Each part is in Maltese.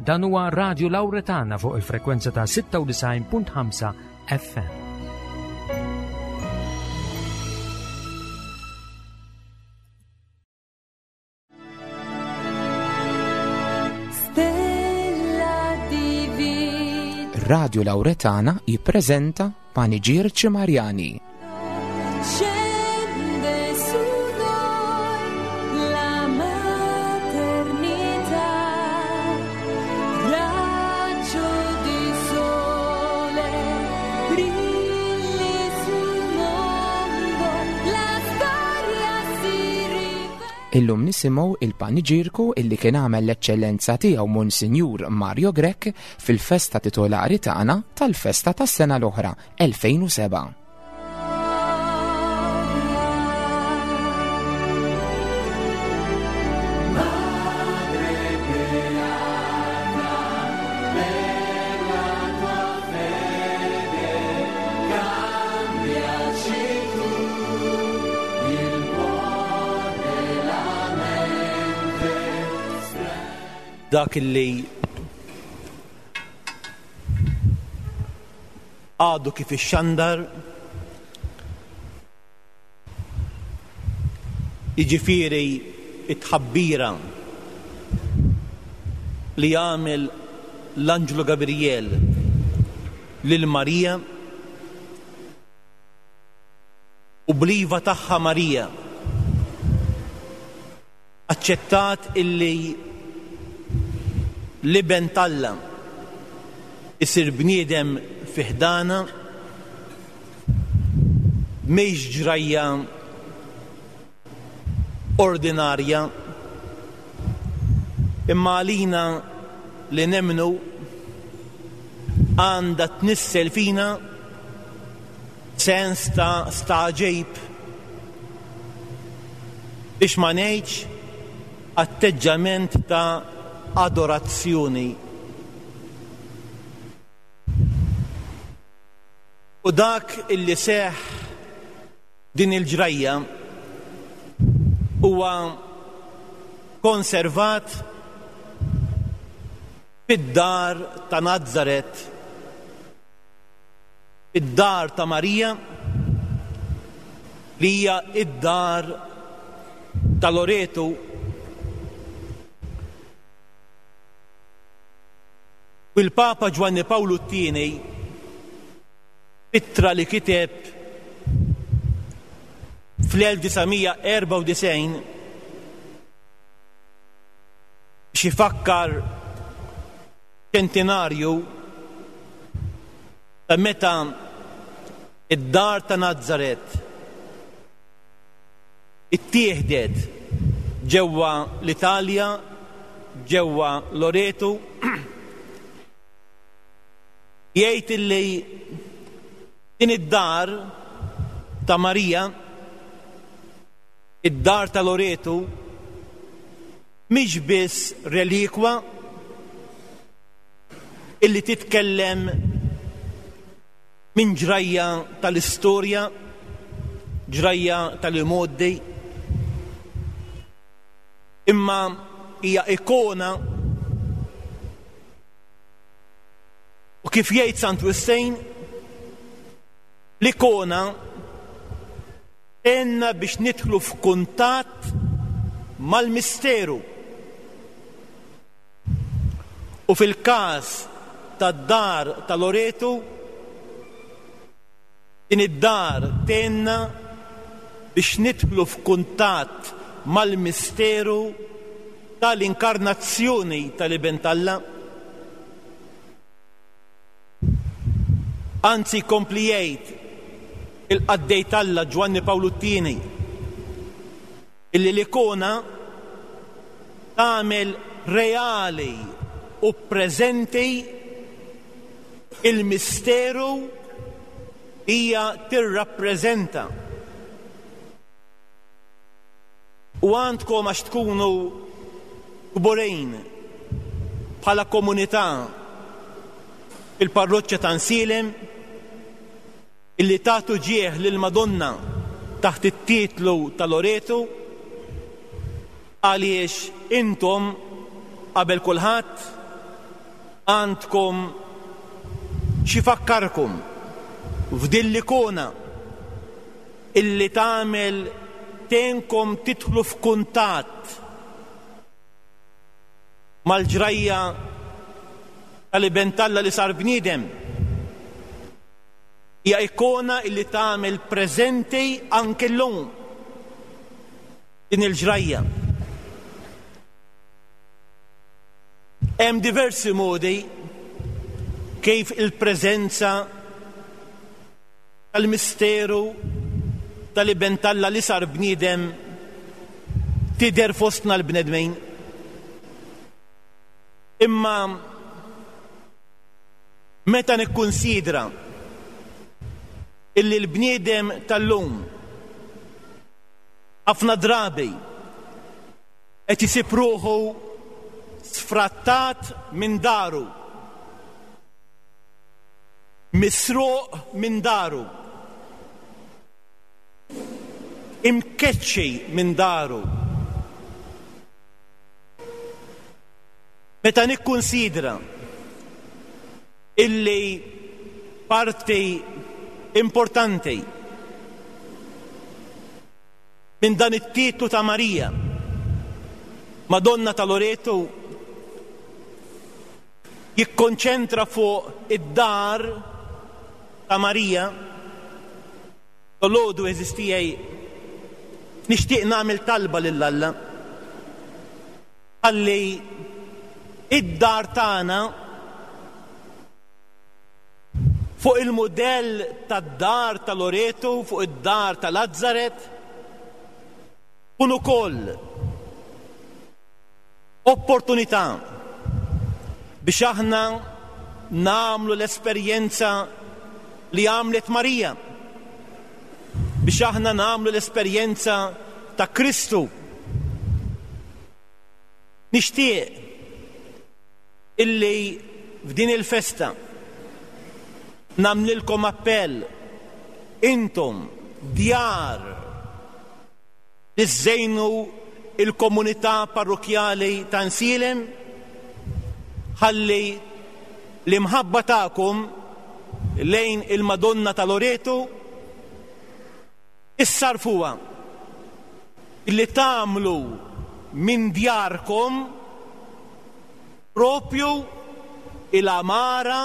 Dan huwa Radio Lauretana fuq il-frekwenza ta' 96.5 FM. Radio Lauretana jippreżenta Paniġierċi Marjani. Illum nisimgħu il-paniġierku illi kien għamel l-Eċċellenza tiegħu Monsinjur Mario Grech fil-festa titolari tagħna tal-festa tas-sena l-oħra 2007. Dak li għadu kif ixxandar, jiġifieri t-tħabbira li għamel l-anġlu Gabrijel lil Marija u bl-iva tagħha Marija aċċettat illi l-Iben t'Alla isir bniedem fi ħdanha, mhix ġrajja ordinarja, imma għalina li nemmnu għandha tnissel fina sens ta' stagħġib, biex ma ngħidx atteġġament ta' adorazzjoni. U dak illi seħħ din il-ġrajja huwa konservat fid-dar ta' Nazaret, id-dar ta' Marija, li hija d-dar ta' Loretu. U l-Papa Ġwanni Pawlu t-Tieni, f'ittra li kiteb fl-1994 biex ifakkar ċentinarju ta' meta d-dar ta' Nazaret ittieħdet ġewwa l-Italja, ġewwa Loreto, jgħid illi din id-dar ta' Marija, id-dar ta' Loreto, mhix biss relikwa illi titkellem minn ġrajja tal-istorja, ġrajja tal-imgħoddi, imma hija ikona u kif jgħid Sant Wistin, l-ikona tgħinna biex nidħlu f'kuntatt mal-misteru. U fil-każ tad-dar ta' Loreto, din id-dar tgħinna biex nidħlu f'kuntatt mal-misteru tal-inkarnazzjoni tal-Iben t'Alla. Anzi jkompli jgħid il-qaddej t'Alla Ġwanni Pawlu t-Tieni illi l-ikona tagħmel reali u preżenti il-misteru hija tirrappreżenta. U għandkom għax tkunu kburin bħala komunità fil-parroċċa ta' Nsielem illi tagħtu ġieħ lill-Madonna taħt it-titlu ta' Loreto għaliex intom qabel kulħadd. Għandkom x'ifakkarkom f'din l-ikona illi tagħmel tgħinkom tidħlu f'kuntatt mal-ġrajja tal-Iben t'Alla li sar bniedem. Hija ikona illi tagħmel preżenti anke llum din il-ġrajja. Hemm diversi modi kif il-preżenza tal-misteru tal-Iben t'Alla li sar bniedem tidher fostna l-bnedmin. Imma meta nikkunsidra illi l-bniedem tal-lum ħafna drabi qed isib ruħu sfrattat minn daru, misruq minn daru, imkeċċi minn daru. Meta nikkunsidra illi parti importanti minn dan it-titlu ta' Marija, Madonna ta' Loreto, jikkonċentra fuq id-dar ta' Marija, Dolodu għeżież tiegħi nixtieq nagħmel talba lil Alla ħalli id-dar tagħna Fuq il-mudell tad-dar ta' Loreto, fuq id-dar ta' Lazaret, tkun ukoll opportunità biex aħna nagħmlu l-esperjenza li għamlet Marija, biex aħna nagħmlu l-esperjenza ta' Kristu. Nixtieq illi f'din il-festa nagħmlilkom appell, intom djar li żżejnu l-komunità parrokkjali ta' Nsielem, ħalli l-imħabba tagħkom lejn il-Madonna ta' Loreto issarrfuha billi tagħmlu minn djarkom Proprju il-għamara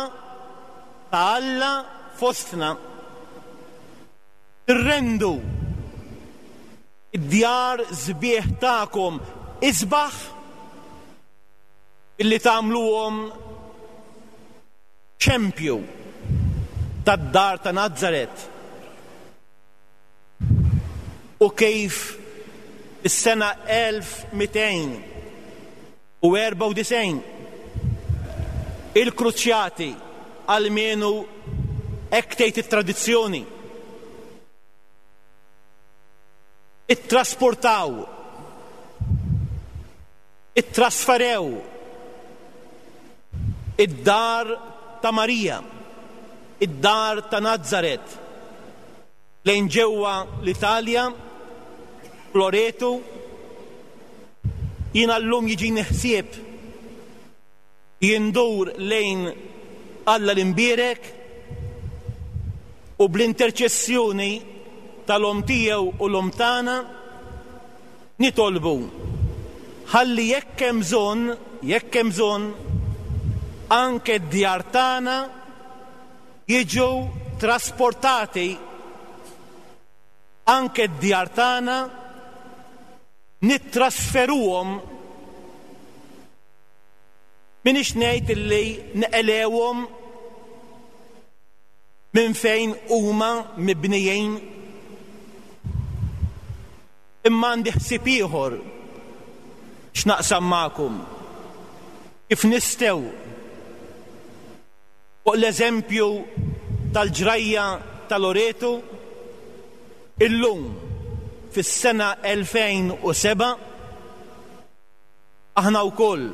ta' Alla fostna. Tirrendu d-djar sbieħ tagħkom isbaħ billi tagħmluhom xempju tad-dar ta' Nazaret u kif fis-sena 1200 u 94. Il-Kruċjati, almenu hekk tgħid it-tradizzjoni, ittrasportaw, ittrasferew id-dar ta' Marija, id-dar ta' Nazaret, lejn ġewwa l-Italja, f'Loreto. Jiena llum jiġini ħsieb jindur lejn Alla l-Imbierek u bl-interċessjoni tal-Omm tiegħu u l-Omm tagħna nitolbu ħalli jekk hemm bżonn, jekk hemm bżonn, anke d-djar tagħna jiġu trasportati, anke d-djar tagħna nittrasferuhom, m'iniex ngħid illi neqelgħuhom minn fejn huma mibnijin, imma għandi ħsieb ieħor x'naqsam magħkom, kif nistgħu fuq l-eżempju tal-ġrajja ta' Loreto, illum fis-sena 2007, aħna wkoll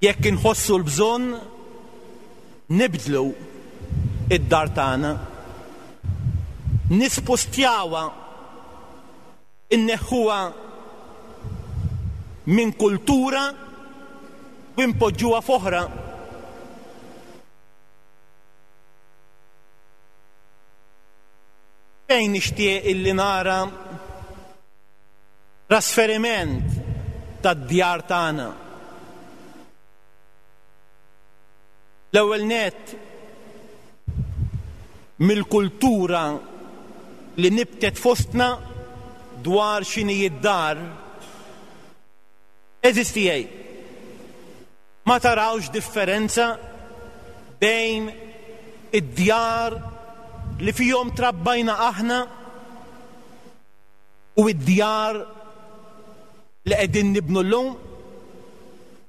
jekk inħossu l-bżonn nibdlu d-dar tagħna, nispustjawha, inneħħuha minn kultura. u npoġġuha f'oħra. Fejn nixtieq illi nara trasferiment tad-djar tagħna? L-ewwel nett mill-kultura li nibtet fostna dwar x'inhi d-dar. Għeżież tiegħi, ma tarawx differenza bejn id-djar li fihom trabbajna aħna u d-djar li qegħdin nibnu llum?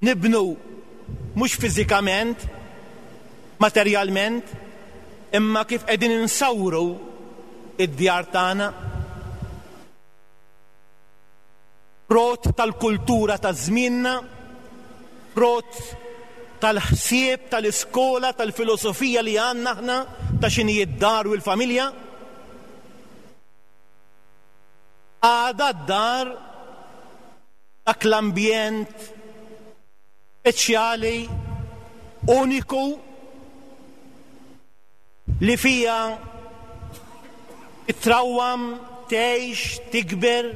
Nibnu mhux fiżikament, materjalment, imma kif qegħdin insawru d-djar tagħna. Frott tal-kultura ta' żmienna, frott tal-ħsieb, tal-iskola, tal-filosofija li għandna aħna ta' x'inhi d-dar u l-familja. Għadha d-dar dak l-ambjent speċjali, uniku, li fiha titrawwam, tgħix, tikber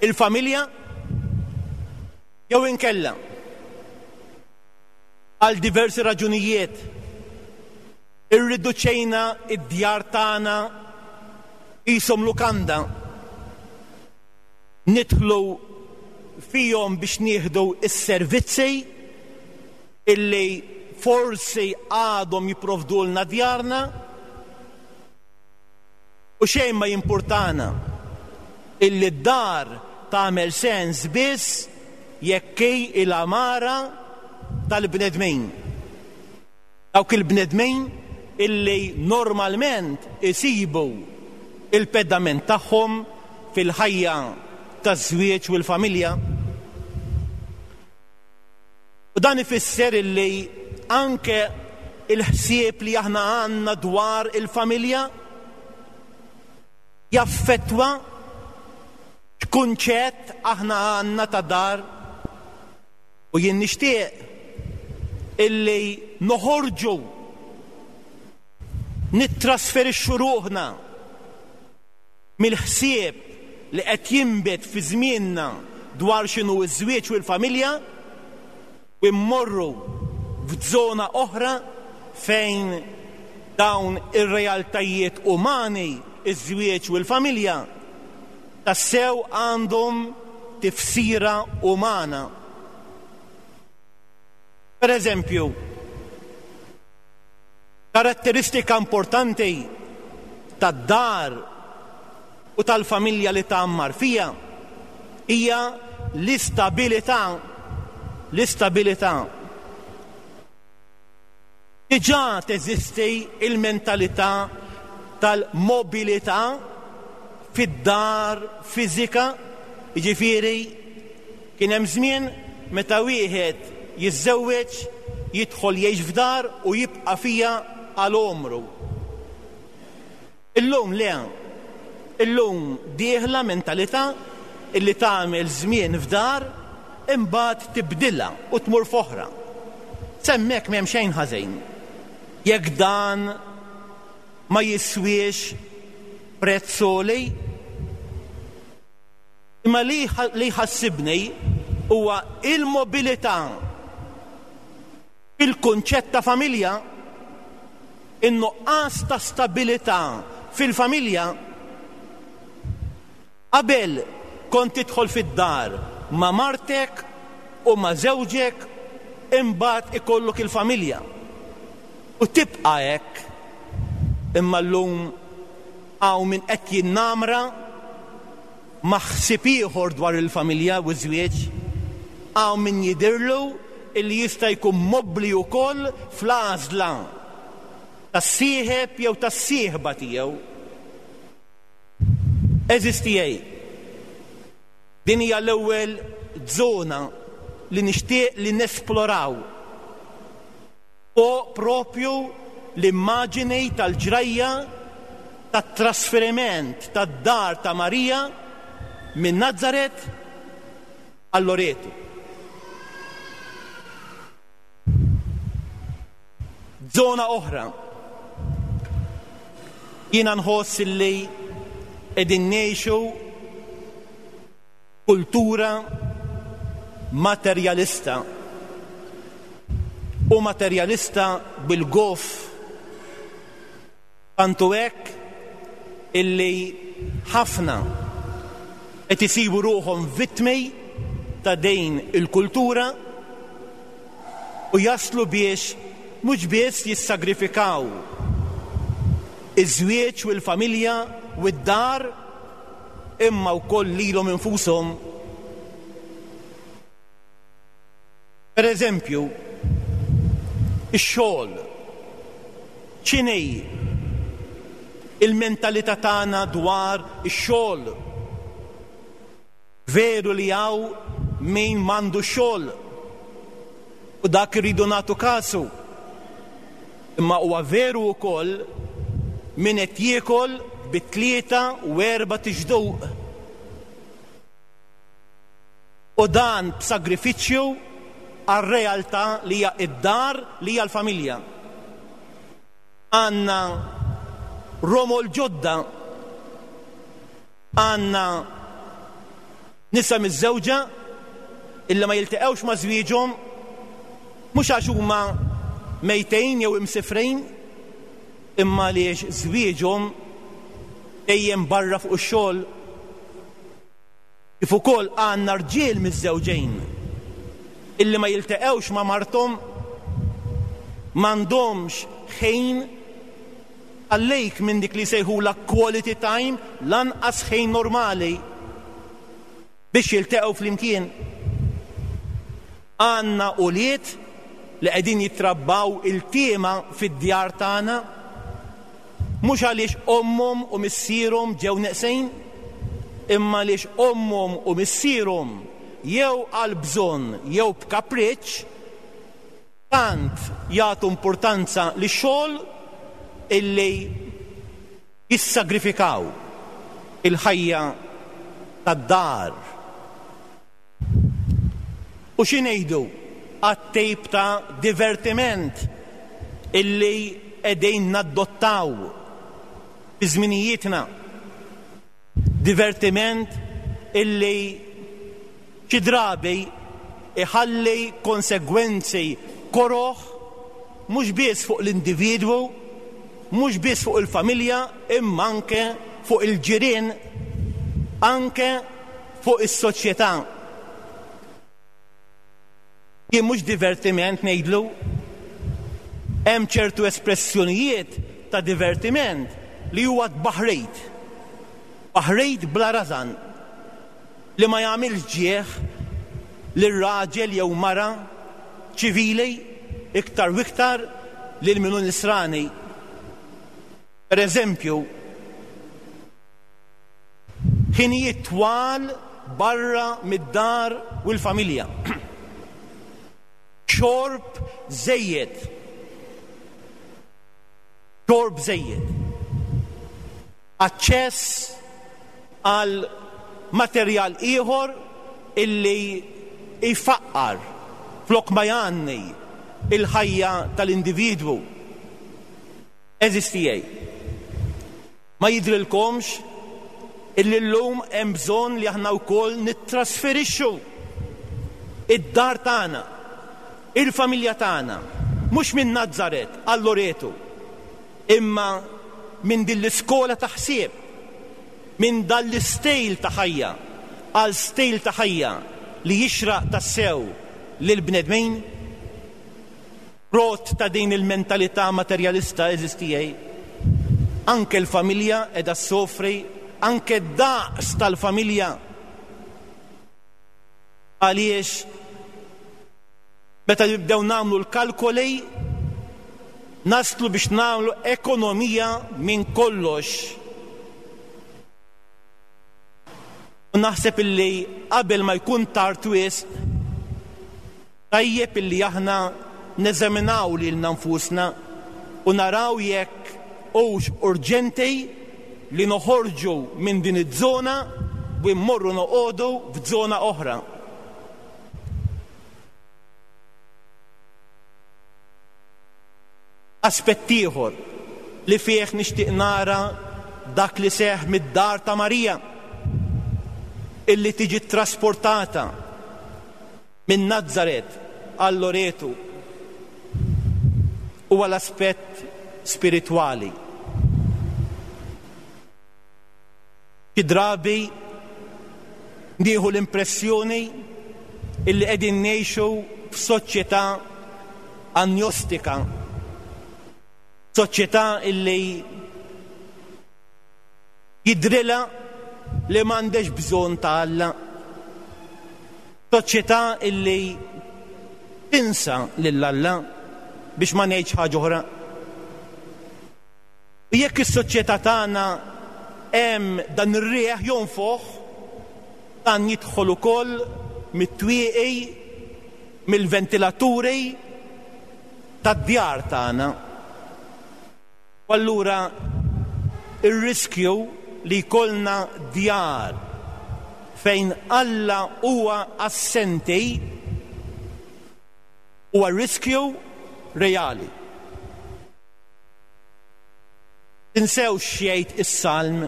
il-familja, jew inkella għal diversi raġunijiet irriduċejna d-djar tagħna qishom lukanda, nidħlu fihom biex nieħdu s-servizzi illi forsi għadhom jipprovdulna djarna u xejn ma jimpurtana illi d-dar tagħmel sens biss jekk hi l-għamara tal-bnedmin. Dawk il-bnedmin illi normalment isibu l-pedament tagħhom fil-ħajja taż-żwieġ u l-familja. U dan ifisser illi anke l-ħsieb li aħna għandna dwar il-familja jaffettwa x'kunċett aħna għandna ta' dar. U jien nixtieq illi noħorġu nittrasferixxu ruħna mill-ħsieb li qed jinbet fi żmienna dwar x'inhu ż-żwieġ u l-familja u mmorru f'żona oħra fejn dawn ir-realtajiet umani, iż-żwieġ u l-familja, tassew għandhom tifsira umana. Per eżempju, Karatteristika importanti tad-dar u tal-familja li tgħammar fiha hija l-istabilità, l-istabilità. Diġà teżisti l-mentalità tal-mobilità fid-dar fiżika, jiġifieri Kien hemm żmien meta wieħed jiżżewweġ, jidħol jgħix f'dar u jibqa' fiha għal għomru. Illum le. Illum dieħla mentalità illi tagħmel żmien f'dar imbagħad tibdilha u tmur f'oħra. S'hemmhekk m'hemm xejn ħażin. Jekk dan ma jiswiex prezz għoli. Imma li li jħassibni huwa il-mobilità fil-kunċett ta' familja, in-nuqqas ta' stabilità fil-familja. Qabel kont tidħol fid-dar ma' martek u ma' żewġek imbagħad ikollok il-familja. U tibqa' hekk. Imma llum hawn min qed jinnamra ma' ħsieb ieħor dwar il-familja u ż-żwieġ. Hawn min jidhirlu illi jista' jkun mobbli wkoll fl-għażla tas-sieħeb jew tas-sieħba tiegħu. Għeżież tiegħi, din hija l-ewwel żona li nixtieq li nesploraw fuq proprju l-immaġini tal-ġrajja tat-trasferiment tad-dar ta' Marija minn Nazaret għal Loreto. Żona oħra. Jiena nħoss illi qegħdin ngħixu kultura materjalista u materjalista bil-goff tant hu hekk illi ħafna qed isibu ruħhom vittmi ta' din il-kultura u jaslu biex mhux biss jissagrifikaw iż-żwieġ u l-familja u d-dar imma wkoll lilhom infushom. Per eżempju, ix-xogħol. X'inhi l-mentalità tagħna dwar ix-xogħol? Veru li hawn min m'għandux xogħol u dak irridu nagħtu kasu. Imma huwa veru wkoll min qed jiekol bi tlieta u erbat ixduq. U dan b'sagrifiċċju għar-realtà li hija d-dar, li hija l-familja. Għandna romol ġodda, għandna nisa miżżewġa illi ma jiltaqgħux ma' żwieġhom mhux għax huma mejtejn jew imsifrejn, imma għaliex żwieġhom dejjem barra fuq ix-xogħol. Kif ukoll għandna rġiel miżżewġejn illi ma jilteqgħux ma' marthom, m'għandhomx ħin għalejk minn dik li jsejħulha quality time, lanqas ħin normali biex jilteqgħu flimkien. Għandna ulied li qegħdin jittrabbaw iltiema fid-djar tagħna. Mhux għaliex ommhom u missierhom ġew neqsin, imma għaliex ommhom u missierhom, jew għal bżonn jew b'kapriċċ, tant jagħtu importanza lix-xogħol illi jissagrifikaw il-ħajja tad-dar. U xi ngħidu għat-tip ta' divertiment illi qegħdin naddottaw fi żminijietna? Divertiment illi xi drabi jħalli konsegwenzi koroh mhux biss fuq l-individwu, mhux biss fuq il-familja imma anke fuq il-ġirien, anke fuq is-soċjetà. Jien mhux divertiment ngħidlu. Hemm ċertu espressjonijiet ta' divertiment li huwa tbaħrid. Tbaħrid bla rażan li ma jagħmilx ġieħ lil raġel jew mara ċivili iktar u iktar lil min hu nisrani. Per eżempju, Ħinijiet twal barra mid-dar u l-familja. Xorb żejjed. Xorb żejjed. Aċċess għal materjal ieħor illi jfaqqar flok ma jgħanni il-ħajja tal-individwu. Għeżież tiegħi, ma jidhrilkomx illi llum hemm bżonn li aħna wkoll nittrasferixxu id-dar tagħna, il-familja tagħna, mhux minn Nazaret għal Loreto, imma minn din l-iskola ta' ħsieb, minn dan l-istejl ta' ħajja għal stejl ta' ħajja li jixraq tassew lill-bnedmin? Frott ta' din il-mentalità materjalista, għeżież tiegħi, anke l-familja qiegħda ssofri, anke d-daqs tal-familja. Għaliex meta nibdew nagħmlu l-kalkoli naslu biex nagħmlu ekonomija minn kollox. U naħseb illi qabel ma jkun tard wisq, Tajjeb illi aħna neżaminaw lilna nfusna u naraw jekk hux urġenti li noħorġu minn din iż-żona u mmorru noqogħdu f'żona oħra. Aspett ieħor li fih nixtieq nara dak li seħħ mid-dar ta' Marija, illi tiġi ttrasportata minn Nazaret għal Loretu, huwa l-aspett spiritwali. Xi drabi nieħu l-impressjoni illi qegħdin ngħixu f'soċjetà anjostika, soċjetà illi jidhrilha li m'għandhiex bżonn ta' Alla, soċjetà illi tinsa lil Alla biex ma ngħidx ħaġa oħra. U jekk is-soċjetà tagħna hemm dan ir-riħ jonfoħ, dan jidħol ukoll mit-twieqi, mill-ventilaturi tad-djar tagħna. U allura r-riskju li jkollna djar fejn Alla huwa assenti huwa riskju reali. Tinsewx x'jgħid is-Salm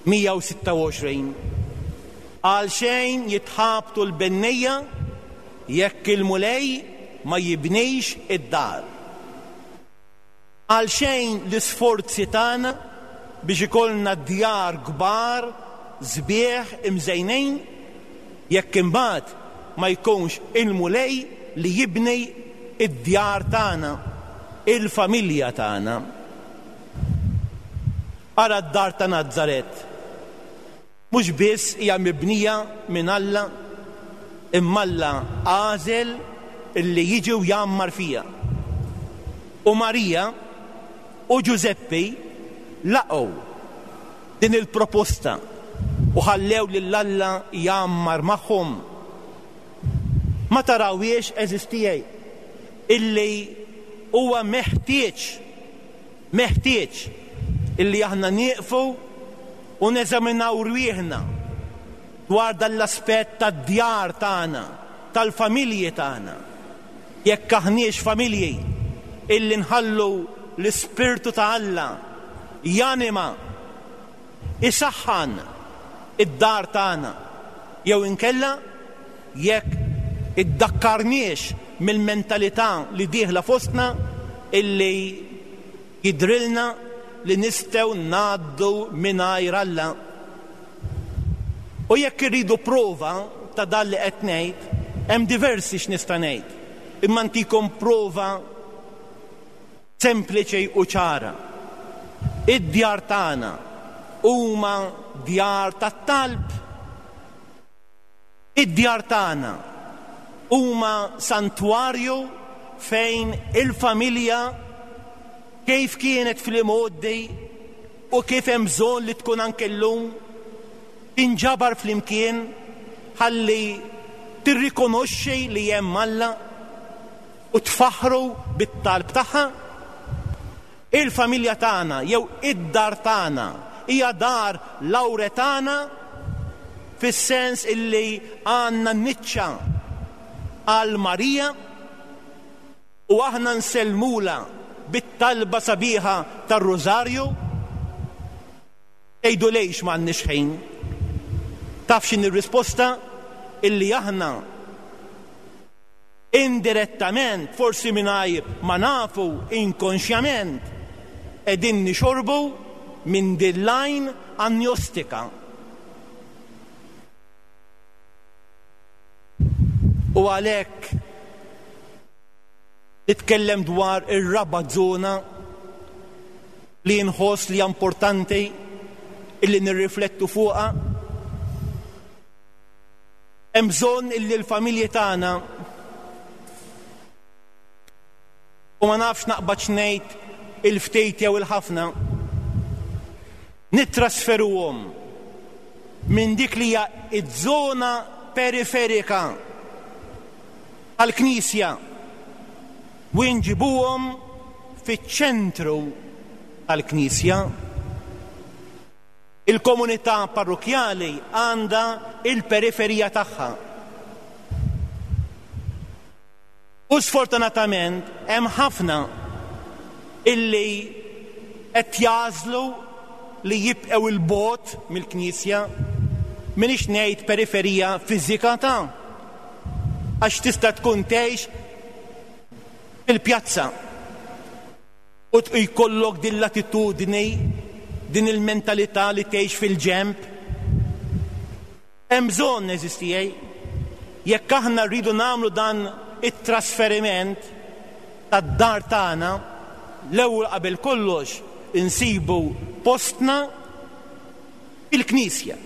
126, Għalxejn jitħabtu l-bennejja jekk il-Mulej ma jibnix id-dar. Għalxejn l-isforzi tagħna biex ikollna djar kbar, sbieħ, imżejnin, jekk imbagħad ma jkunx il-Mulej li jibni d-djar tagħna, il-familja tagħna. Ara d-dar ta' Nazaret. Mhux biss hija mibnija minn Alla, imma Alla għażel li jiġi u jgħammar fiha. U Marija u Ġużeppi laqgħu din il-proposta u ħallew lil Alla jgħammar magħhom. Ma tarawhiex, għeżież tiegħi, illi huwa meħtieġ, meħtieġ illi aħna nieqfu u neżaminaw rwieħna dwar dan l-aspett tad-djar tagħna, tal-familji tagħna. Jekk aħniex familji illi nħallu l-Ispirtu ta' Alla janima, isaħħan id-dar tagħna, jew inkella jekk iddakkarniex mill-mentalità li dieħla fostna illi jidhrilna li nistgħu ngħaddu mingħajr Alla. U jekk irridu prova ta' dan li qed ngħid, hemm diversi x'nista' ngħid, imma ntikom prova sempliċi u ċara. Id-djar tagħna huma djar tat-talb. Id-djar tagħna huma santwarju fejn il-familja kif kienet fl-imgħoddi u kif hemm bżonn li tkun anke llum, tinġabar flimkien ħalli tirrikonoxxi li hemm Alla u tfaħħru bit-talb tagħha. Il-familja tagħna jew id-dar tagħna hija dar Lawretana fis-sens illi għandna niċċa għal Marija u aħna nsellmulha bit-talba sabiħa tar-Rużarju. Tgħidu lejx m'għandniex ħin? Taf x'inhi r-risposta? Illi aħna Indirettament, forsi mingħajr ma nafu, inkonxjament, qegħdin nixorbu minn din l-għajn anjostika. U għalhekk nitkellem dwar ir-raba' żona li nħoss li hija importanti illi nirriflettu fuqha. Hemm bżonn illi l-familji tagħna, u ma nafx naqbadx ngħid il-ftit jew il-ħafna, nittrasferuhom minn dik li hija ż-żona periferika tal-Knisja u nġibuhom fiċ-ċentru tal-Knisja. Il-komunità parrukkjali għandha l-periferija tagħha. U sfortunatament hemm ħafna illi qed jagħżlu li jibqgħu 'il bogħod mill-Knisja, m'iniex ngħid periferija fiżika ta' għax tista' tkun tgħix fil-pjazza u jkollok din l-attitudni, din il-mentalità li tgħix fil-ġenb. Hemm bżonn, għeżież tiegħi, jekk aħna rridu nagħmlu dan it-trasferiment tad-dar tagħna, l-ewwel qabel kollox insibu postna fil-Knisja,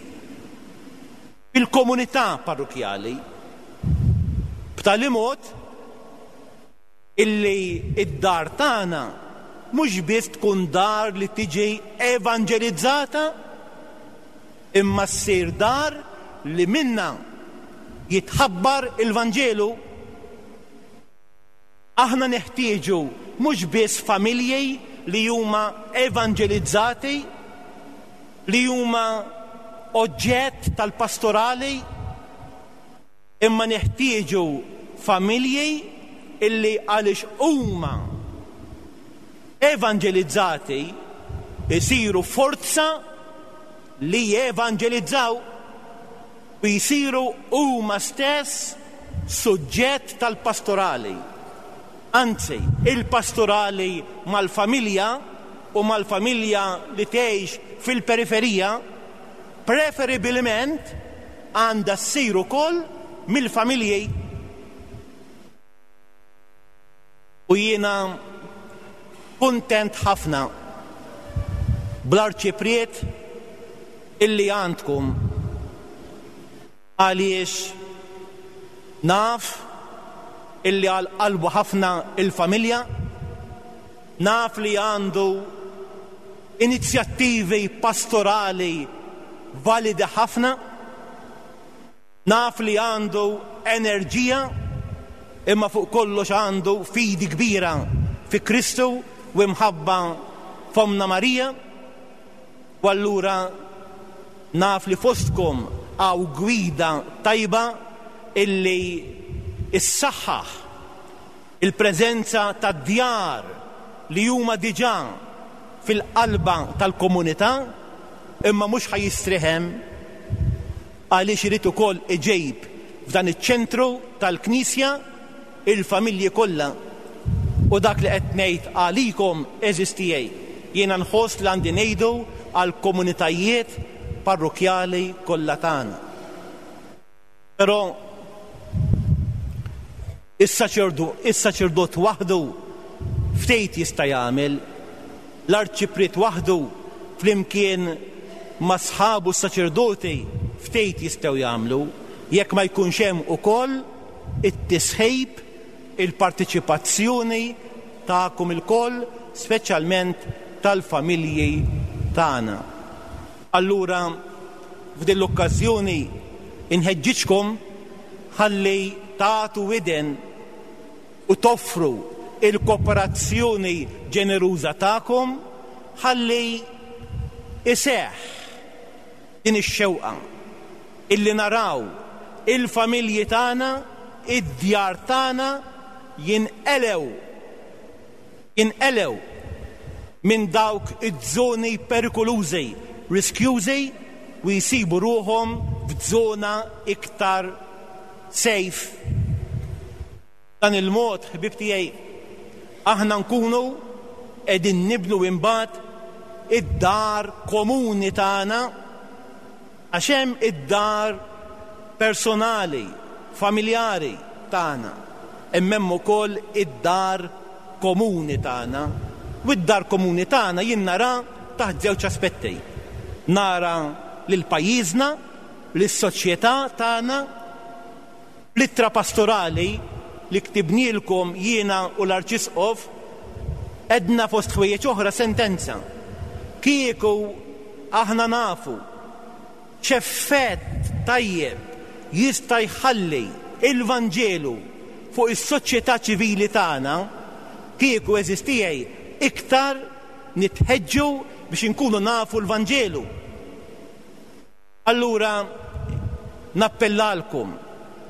fil-komunità parrukkjali, b'tali mod illi d-dar tagħna mhux biss tkun dar li tiġi evanġelizzata imma ssir dar li minnha jitħabbar il-Vanġelu. Aħna neħtieġu mhux biss familji li huma evanġelizzati, li huma oġġett tal-pastorali, Imma neħtieġu familji illi għaliex huma evanġelizzati jsiru forza li jevanġelizzaw u jsiru huma stess suġġett tal-pastorali. Anzi, il-pastorali mal-familja u mal-familja li tgħix fil-periferija preferibilment għandha ssir ukoll mill-familji. U jiena kuntent ħafna bl-arċipriet illi għandkom għaliex naf illi għal qalbu ħafna il-familja, naf li għandu inizjattivi pastorali validi ħafna, naf li għandu enerġija imma fuq kollox għandu fidi kbira fi Kristu u imħabba f'Ommna Marija u allura naf li fostkom hawn gwida tajba illi ssaħħaħ il-preżenza tad-djar li huma diġà fil-qalba tal-komunità imma mhux ħa jistrieħ hemm għaliex irid ukoll iġib f'dan iċ-ċentru tal-Knisja il-familji kollha u dak li qed ngħid għalikom għeżież tiegħi jiena nħoss li għandi ngħidu għall-komunitajiet parrokkjali kollha tagħna. Però is-saċerdot waħdu ftit jista' jagħmel, l-arċipriet waħdu flimkien ma' sħabu s-saċerdoti ftit jistgħu jagħmlu jekk ma jkunx hemm ukoll it-tisħib, il-parteċipazzjoni tagħkom ilkoll, speċjalment tal-familji tagħna. Allura f'din l-okkażjoni nħeġġiġkom ħalli tagħtu widen u toffru l-kooperazzjoni ġeneruża tagħkom ħalli jseħħ din ix-xewqa illi naraw il-familji tagħna, id-djar tagħna jinqelgħu jinqelgħu minn dawk iż-żoni perikolużi, riskjużi u jsibu ruħhom f'żona iktar safe. B'dan il-mod, ħbieb tiegħi, aħna nkunu qegħdin nibnu imbagħad id-dar komuni tagħna Għax hemm id-dar personali, familjari tagħna, imma hemm ukoll id-dar komuni tagħna. U d-dar komuni tagħna jien nara taħt żewġ aspetti. Nara lil pajjiżna, lis-soċjetà tagħna. Fl-ittra pastorali li ktibnielkom jiena u l-Arċisqof, għedna fost ħwejjeġ oħra sentenza, Kieku aħna nafu x'effett tajjeb jista' jħalli l-Vanġelu fuq is-soċjetà ċivili tagħna, kieku għeżież tiegħi iktar nitħeġġu biex inkunu nafu l-Vanġelu. Allura nappellalkom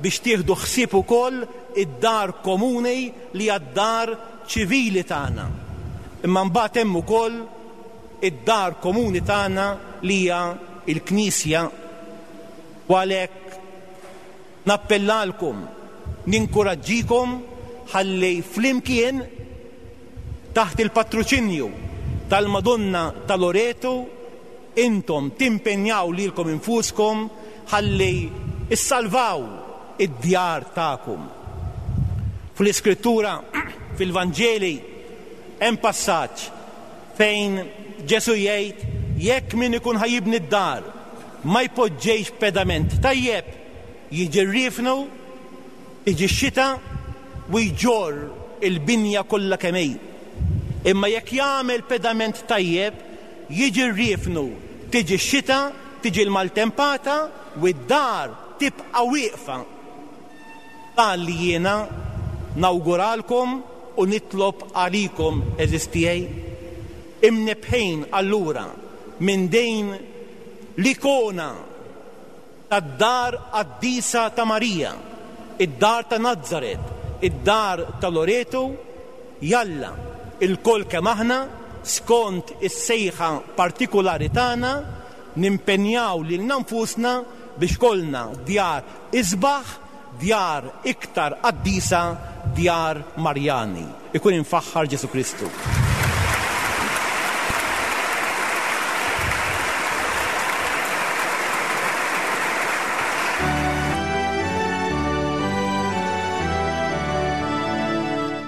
biex tieħdu ħsieb ukoll id-dar komuni li hija d-dar ċivili tagħna. Imma mbagħad hemm ukoll id-dar komuni tagħna li hija l-Knisja. U għalhekk nappellalkom, ninkuraġġikom ħalli flimkien taħt il-patroċinju tal-Madonna ta' Loreto intom timpenjaw lilkom infuskom ħalli ssalvaw id-djar tagħkom. Fl-Iskrittura, fil-Vanġeli, hemm passaġġ fejn Ġesù jgħid jekk min ikun ħa jibni d-dar ma jpoġġejx pedament tajjeb, jiġi r-riefnu, tiġi x-xita u jġorr il-binja kollha kemm hi. Imma jekk jagħmel pedament tajjeb, jiġi r-riefnu, tiġi x-xita, tiġi l-maltempata u d-dar tibqa' wieqfa. Dan li jiena nawguralkom u nitlob għalikom għeżież tiegħi. Imnebbħin allura minn din l-ikona tad-dar qaddisa ta' Marija, id-dar ta' Nazaret, id-dar ta' Loreto, jalla, ilkoll kemm aħna, skont is-sejħa partikulari tagħna, nimpenjaw lilna nfusna biex kollna djar isbaħ, djar iktar qaddisa, djar Marjani. Ikun imfaħħar Ġesù Kristu.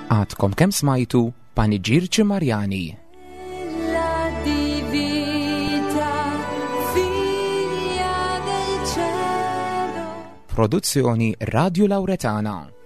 Għadkom kemm smajtu Paniġirċi Marjani. Produzzjoni Radio Lauretana.